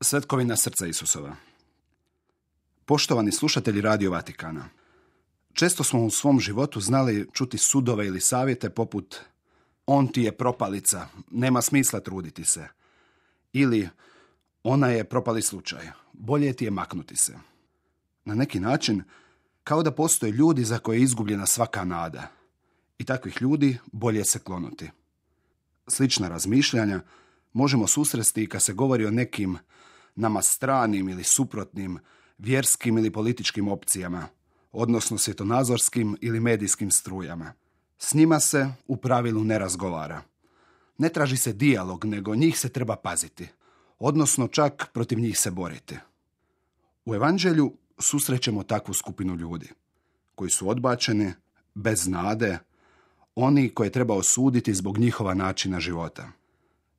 Svetkovina srca Isusova. Poštovani slušatelji Radio Vatikana, često smo u svom životu znali čuti sudove ili savjete poput on ti je propalica, nema smisla truditi se. Ili ona je propali slučaj, bolje ti je maknuti se. Na neki način, kao da postoje ljudi za koje je izgubljena svaka nada. I takvih ljudi bolje se klonuti. Slična razmišljanja možemo susresti i kad se govori o nekim nama stranim ili suprotnim vjerskim ili političkim opcijama, odnosno svjetonazorskim ili medijskim strujama. S njima se u pravilu ne razgovara. Ne traži se dijalog, nego njih se treba paziti, odnosno čak protiv njih se boriti. U Evanđelju susrećemo takvu skupinu ljudi, koji su odbačeni, bez nade, oni koje treba osuditi zbog njihova načina života.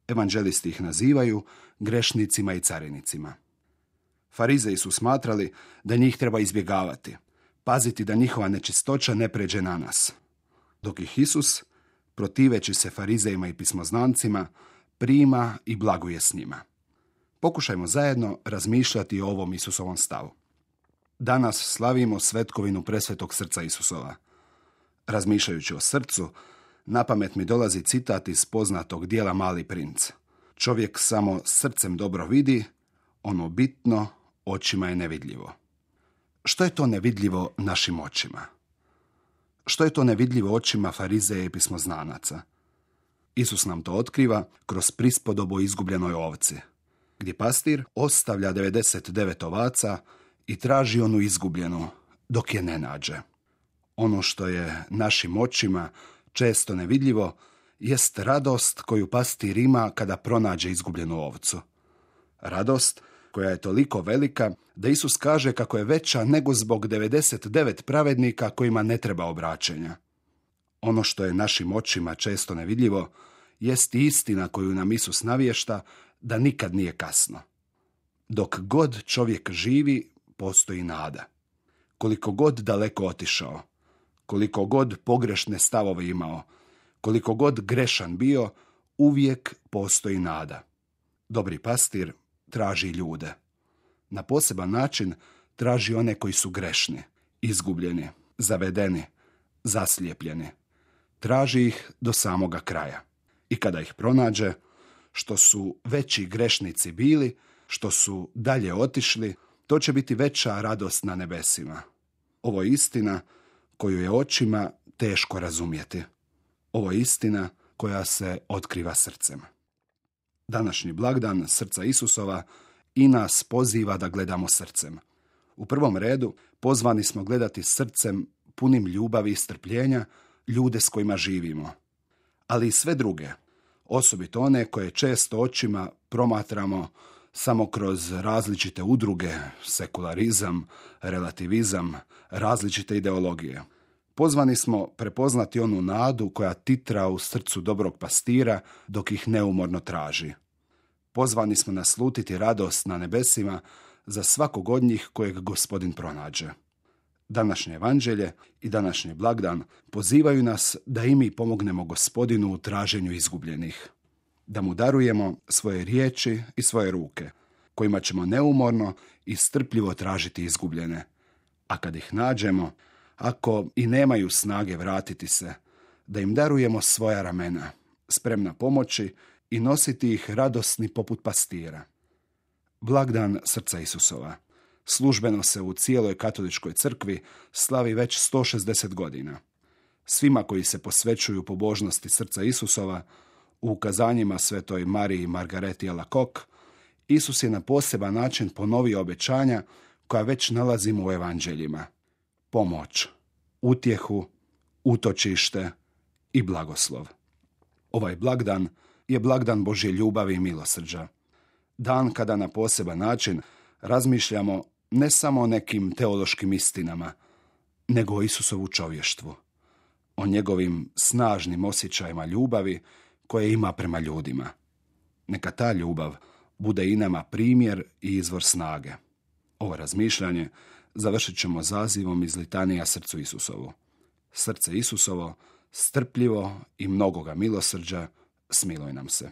Evanđelisti ih nazivaju grešnicima i carinicima. Farizeji su smatrali da njih treba izbjegavati, paziti da njihova nečistoća ne pređe na nas. Dok ih Isus, protiveći se farizejima i pismoznancima, prima i blaguje s njima. Pokušajmo zajedno razmišljati o ovom Isusovom stavu. Danas slavimo svetkovinu presvetog srca Isusova. Razmišljajući o srcu, na pamet mi dolazi citat iz poznatog dijela Mali princ. Čovjek samo srcem dobro vidi, ono bitno očima je nevidljivo. Što je to nevidljivo našim očima? Što je to nevidljivo očima farizeja i pismoznanaca? Isus nam to otkriva kroz prispodobu o izgubljenoj ovci, gdje pastir ostavlja 99 ovaca i traži onu izgubljenu dok je ne nađe. Ono što je našim očima često nevidljivo jest radost koju pastir ima kada pronađe izgubljenu ovcu. Radost koja je toliko velika da Isus kaže kako je veća nego zbog 99 pravednika kojima ne treba obraćenja. Ono što je našim očima često nevidljivo jest istina koju nam Isus navješta da nikad nije kasno. Dok god čovjek živi, postoji nada. Koliko god daleko otišao, koliko god pogrešne stavove imao, koliko god grešan bio, uvijek postoji nada. Dobri pastir traži ljude. Na poseban način traži one koji su grešni, izgubljeni, zavedeni, zaslijepljeni. Traži ih do samoga kraja. I kada ih pronađe, što su veći grešnici bili, što su dalje otišli, to će biti veća radost na nebesima. Ovo je istina koju je očima teško razumjeti. Ovo je istina koja se otkriva srcem. Današnji blagdan srca Isusova i nas poziva da gledamo srcem. U prvom redu pozvani smo gledati srcem punim ljubavi i strpljenja ljude s kojima živimo. Ali i sve druge, osobito one koje često očima promatramo samo kroz različite udruge, sekularizam, relativizam, različite ideologije. Pozvani smo prepoznati onu nadu koja titra u srcu dobrog pastira dok ih neumorno traži. Pozvani smo naslutiti radost na nebesima za svakog od njih kojeg Gospodin pronađe. Današnje evanđelje i današnji blagdan pozivaju nas da i mi pomognemo Gospodinu u traženju izgubljenih. Da mu darujemo svoje riječi i svoje ruke, kojima ćemo neumorno i strpljivo tražiti izgubljene. A kad ih nađemo, ako i nemaju snage vratiti se, da im darujemo svoja ramena, spremna pomoći i nositi ih radosni poput pastira. Blagdan srca Isusova službeno se u cijeloj katoličkoj crkvi slavi već 160 godina. Svima koji se posvećuju pobožnosti srca Isusova, u ukazanjima svetoj Mariji Margareti Alacoque, Isus je na poseban način ponovio obećanja koja već nalazimo u evanđeljima. Pomoć, utjehu, utočište i blagoslov. Ovaj blagdan je blagdan Božje ljubavi i milosrđa. Dan kada na poseban način razmišljamo ne samo o nekim teološkim istinama, nego o Isusovu čovještvu, o njegovim snažnim osjećajima ljubavi koje ima prema ljudima. Neka ta ljubav bude i nama primjer i izvor snage. Ovo razmišljanje završit ćemo zazivom iz litanija srcu Isusovu. Srce Isusovo, strpljivo i mnogoga milosrđa, smiluj nam se.